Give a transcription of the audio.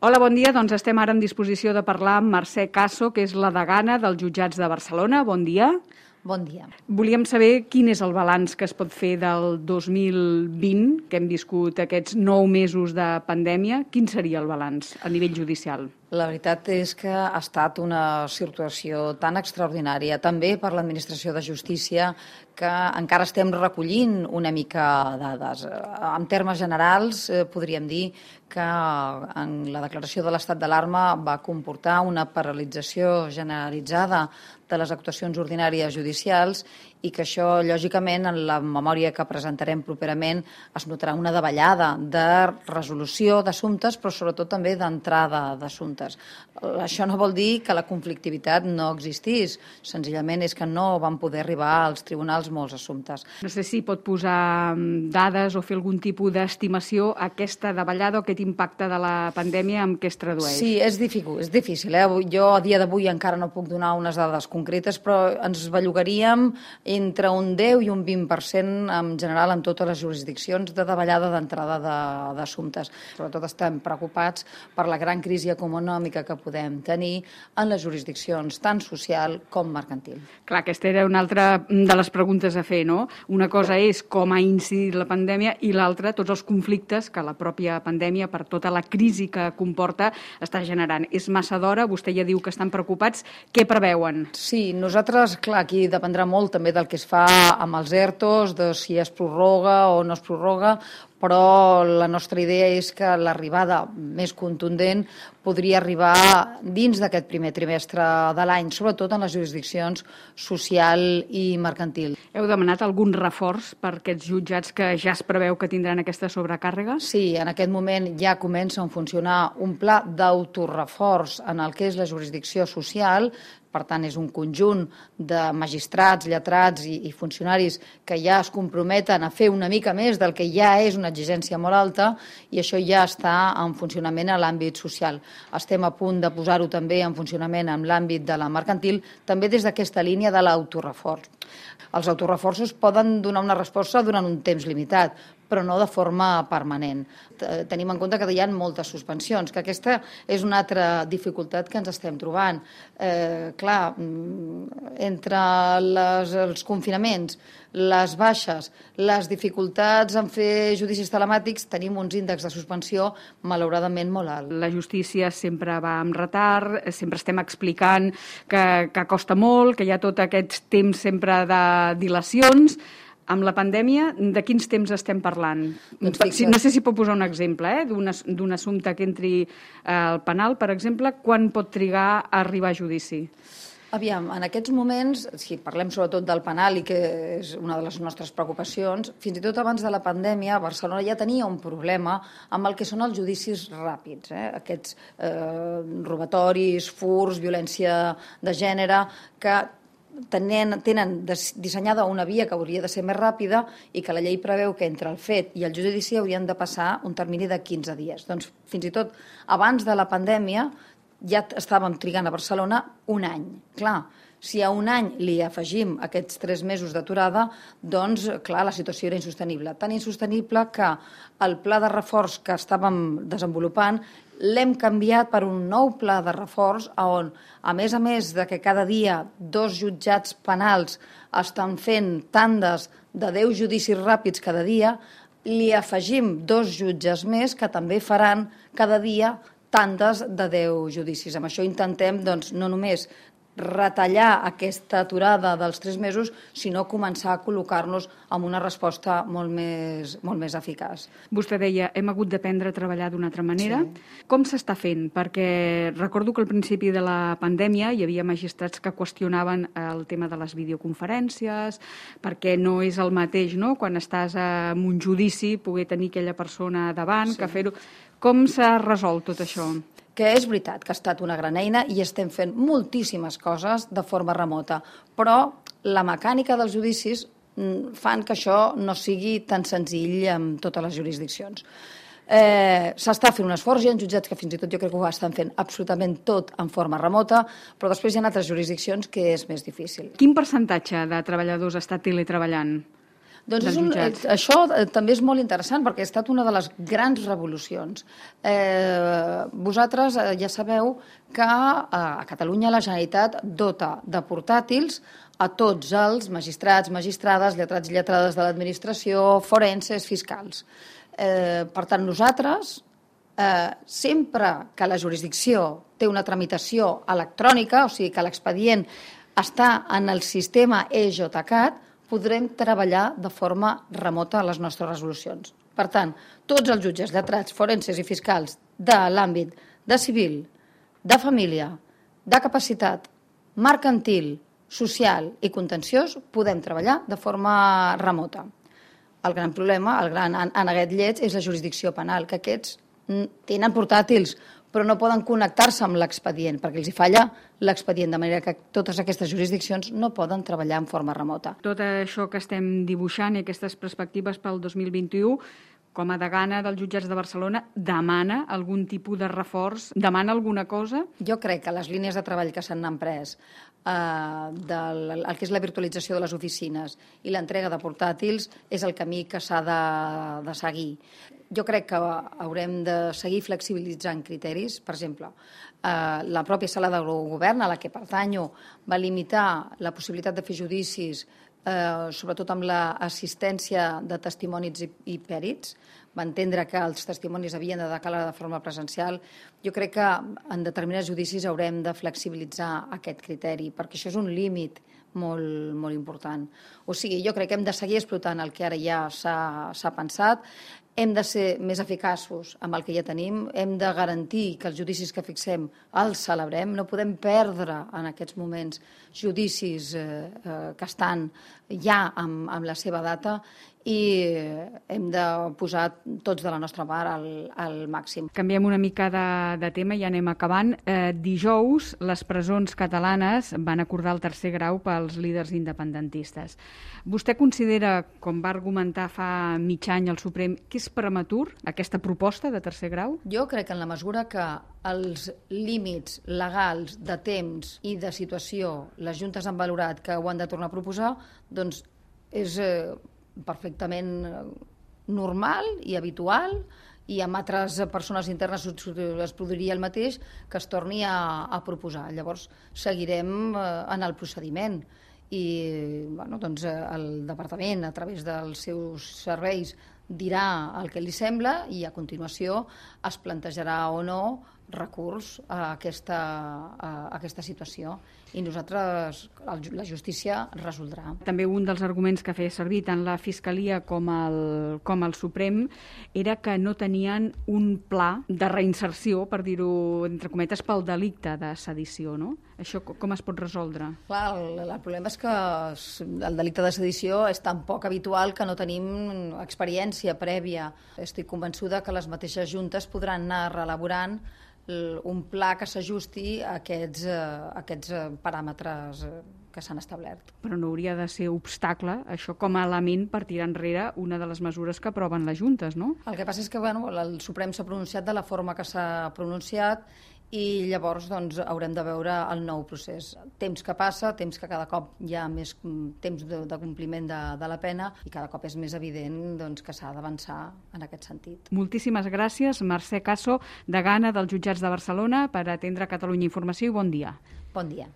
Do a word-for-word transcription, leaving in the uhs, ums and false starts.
Hola, bon dia. Doncs estem ara en disposició de parlar amb Mercè Caso, que és la degana dels jutjats de Barcelona. Bon dia. Bon dia. Volíem saber quin és el balanç que es pot fer del dos mil vint, que hem viscut aquests nou mesos de pandèmia. Quin seria el balanç a nivell judicial? La veritat és que ha estat una situació tan extraordinària, també per l'Administració de Justícia, que encara estem recollint una mica dades. En termes generals, podríem dir que en la declaració de l'estat d'alarma va comportar una paralització generalitzada de les actuacions ordinàries judicials i que això, lògicament, en la memòria que presentarem properament es notarà una davallada de resolució d'assumptes, però sobretot també d'entrada d'assumptes. Això no vol dir que la conflictivitat no existís, senzillament és que no van poder arribar als tribunals molts assumptes. No sé si pot posar dades o fer algun tipus d'estimació a aquesta davallada o aquest impacte de la pandèmia en què es tradueix. Sí, és difícil, és difícil. Eh? Jo a dia d'avui encara no puc donar unes dades concretes, però ens bellugaríem entre un deu i un vint per cent en general en totes les jurisdiccions de davallada d'entrada d'assumptes. Sobretot estem preocupats per la gran crisi econòmica que podem tenir en les jurisdiccions tant social com mercantil. Clar, aquesta era una altra de les preguntes a fer, no? Una cosa és com ha incidit la pandèmia i l'altra tots els conflictes que la pròpia pandèmia, per tota la crisi que comporta, està generant. És massa d'hora, vostè ja diu que estan preocupats. Què preveuen? Sí, nosaltres, clar, aquí dependrà molt també del que es fa amb els ERTOs, de si es prorroga o no es prorroga, però la nostra idea és que l'arribada més contundent podria arribar dins d'aquest primer trimestre de l'any, sobretot en les jurisdiccions social i mercantil. Heu demanat algun reforç per aquests jutjats que ja es preveu que tindran aquesta sobrecàrrega? Sí, en aquest moment ja comença a funcionar un pla d'autoreforç en el que és la jurisdicció social. Per tant, és un conjunt de magistrats, lletrats i, i funcionaris que ja es comprometen a fer una mica més del que ja és una exigència molt alta i això ja està en funcionament a l'àmbit social. Estem a punt de posar-ho també en funcionament en l'àmbit de la mercantil, també des d'aquesta línia de l'autoreforç. Els autoreforços poden donar una resposta durant un temps limitat, però no de forma permanent. Tenim en compte que hi ha moltes suspensions, que aquesta és una altra dificultat que ens estem trobant. Eh, clar, entre les, els confinaments, les baixes, les dificultats en fer judicis telemàtics, tenim uns índexs de suspensió malauradament molt alts. La justícia sempre va amb retard, sempre estem explicant que, que costa molt, que hi ha tot aquest temps sempre de dilacions. Amb la pandèmia, de quins temps estem parlant? Doncs no sé si pot posar un exemple eh, d'un assumpte que entri al penal, per exemple, quan pot trigar a arribar a judici? Aviam, en aquests moments, si parlem sobretot del penal i que és una de les nostres preocupacions, fins i tot abans de la pandèmia, Barcelona ja tenia un problema amb el que són els judicis ràpids, eh? aquests eh, robatoris, furts, violència de gènere, que tenen, tenen dissenyada una via que hauria de ser més ràpida i que la llei preveu que entre el fet i el judici haurien de passar un termini de quinze dies. Doncs fins i tot abans de la pandèmia ja estàvem trigant a Barcelona un any. Clar, si a un any li afegim aquests tres mesos d'aturada, doncs, clar, la situació era insostenible. Tan insostenible que el pla de reforç que estàvem desenvolupant l'hem canviat per un nou pla de reforç on, a més a més de que cada dia dos jutjats penals estan fent tandes de deu judicis ràpids cada dia, li afegim dos jutges més que també faran cada dia tandes de deu judicis. Amb això intentem, doncs, no només retallar aquesta aturada dels tres mesos, sinó començar a col·locar-nos amb una resposta molt més, molt més eficaç. Vostè deia, hem hagut d'aprendre a treballar d'una altra manera. Sí. Com s'està fent? Perquè recordo que al principi de la pandèmia hi havia magistrats que qüestionaven el tema de les videoconferències, perquè no és el mateix, no?, quan estàs en un judici, poder tenir aquella persona davant, sí, que fer-ho. Com s'ha resolt tot això? Que és veritat que ha estat una gran eina i estem fent moltíssimes coses de forma remota, però la mecànica dels judicis fan que això no sigui tan senzill en totes les jurisdiccions. Eh, S'està fent un esforç, hi ha jutjats que fins i tot jo crec que ho estan fent absolutament tot en forma remota, però després hi ha altres jurisdiccions que és més difícil. Quin percentatge de treballadors està teletreballant? Doncs dels és un, jutjats. això també és molt interessant perquè ha estat una de les grans revolucions. Eh, vosaltres ja sabeu que a Catalunya la Generalitat dota de portàtils a tots els magistrats, magistrades, lletrats i lletrades de l'administració, forenses, fiscals. Eh, per tant, nosaltres, eh, sempre que la jurisdicció té una tramitació electrònica, o sigui que l'expedient està en el sistema e-JCAT, podrem treballar de forma remota les nostres resolucions. Per tant, tots els jutges, lletrats, forenses i fiscals de l'àmbit de civil, de família, de capacitat, mercantil, social i contenciós, podem treballar de forma remota. El gran problema, el gran aneguet lleig, és la jurisdicció penal, que aquests tenen portàtils, però no poden connectar-se amb l'expedient, perquè els hi falla l'expedient, de manera que totes aquestes jurisdiccions no poden treballar en forma remota. Tot això que estem dibuixant i aquestes perspectives pel dos mil vint-i-u, com a degana dels jutjats de Barcelona, demana algun tipus de reforç? Demana alguna cosa? Jo crec que les línies de treball que s'han emprès, eh, del, el que és la virtualització de les oficines i l'entrega de portàtils, és el camí que s'ha de, de seguir. Jo crec que haurem de seguir flexibilitzant criteris. Per exemple, eh, la pròpia sala de govern, a la que pertanyo, va limitar la possibilitat de fer judicis, eh, sobretot amb l'assistència de testimonis i, i pèrits. Va entendre que els testimonis havien de declarar de forma presencial. Jo crec que en determinats judicis haurem de flexibilitzar aquest criteri, perquè això és un límit molt, molt important. O sigui, jo crec que hem de seguir explotant el que ara ja s'ha pensat, hem de ser més eficaços amb el que ja tenim, hem de garantir que els judicis que fixem els celebrem, no podem perdre en aquests moments judicis eh, eh, que estan ja amb, amb la seva data, i hem de posar tots de la nostra part al, al màxim. Canviem una mica de, de tema i anem acabant. Eh, dijous, les presons catalanes van acordar el tercer grau pels líders independentistes. Vostè considera, com va argumentar fa mig any el Suprem, que és prematur aquesta proposta de tercer grau? Jo crec que en la mesura que els límits legals de temps i de situació les juntes han valorat que ho han de tornar a proposar, doncs és eh, perfectament normal i habitual, i amb altres persones internes es produiria el mateix, que es torni a, a proposar. Llavors seguirem eh, en el procediment i bueno, doncs, el departament, a través dels seus serveis, dirà el que li sembla i a continuació es plantejarà o no recurs a aquesta, a aquesta situació i nosaltres, la justícia resoldrà. També un dels arguments que feia servir tant la Fiscalia com el, com el Suprem era que no tenien un pla de reinserció, per dir-ho entre cometes, pel delicte de sedició, no? Això com es pot resoldre? Clar, el, el problema és que el delicte de sedició és tan poc habitual que no tenim experiència prèvia. Estic convençuda que les mateixes juntes podran anar reelaborant un pla que s'ajusti a aquests, a aquests paràmetres que s'han establert. Però no hauria de ser obstacle, això com a element per tirar enrere una de les mesures que aproven les juntes, no? El que passa és que bueno, el Suprem s'ha pronunciat de la forma que s'ha pronunciat i llavors doncs, haurem de veure el nou procés. Temps que passa, temps que cada cop hi ha més temps de, de compliment de, de la pena i cada cop és més evident doncs, que s'ha d'avançar en aquest sentit. Moltíssimes gràcies, Mercè Caso, degana dels jutjats de Barcelona, per atendre Catalunya Informació i bon dia. Bon dia.